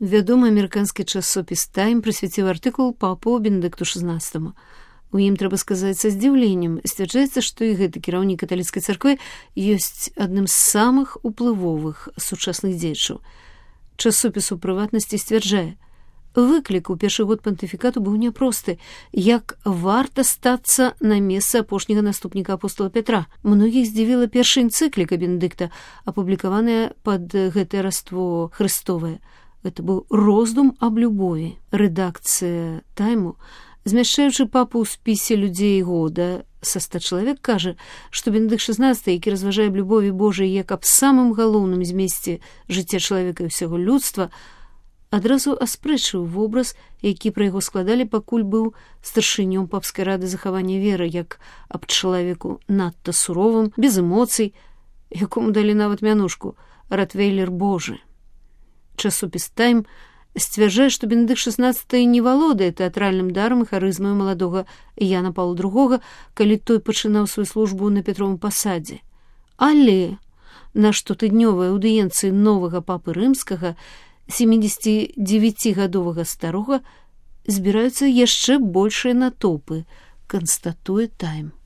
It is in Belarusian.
Вядомы амерыканскі часопіс «Тайм» прысвяціў артыкул папу Бенедыкту XVI. У ім, трэба сказаць, са здзіўленнем сцвярджаецца, што і гэты кіраўнік каталіцкай царквы ёсць адным з самых уплывовых сучасных дзеячаў. Часопіс у прыватнасці сцвярджае: выклік у першы год пантыфікату быў няпросты, як варта стацца на месца апошняга наступніка апостола Пятра. Многіх здзівіла першая энцыкліка Бенедыкта, апублікаваная пад гэтае раство Хрыстовае. Гэта быў роздум аб любові. Рэдакцыя «Тайму», змяшчаючы папу ў спісе людзей года са 100 чалавек, кажа, што Бенедыкт XVI, які разважае аб любові Божай як аб самым галоўным змесце жыцця чалавека і ўсяго людства, адразу аспрэчыў вобраз, які пра яго складалі, пакуль быў старшынём папскай рады захавання веры, як аб чалавеку надта суровым, без эмоцый, якому далі нават мянушку «Ротвейлер Божы». Часопіс «Тайм» сцвярджае, што Бенедыкт XVI не валодае тэатральным дарам і харызмаю маладога Яна Паўла II, калі той пачынаў сваю службу на Петровым пасадзе. Але на штотыднёвай аўдыенцыі новага папы рымскага 79-гадовага старога збіраюцца яшчэ большыя натоўпы, канстатуе «Тайм».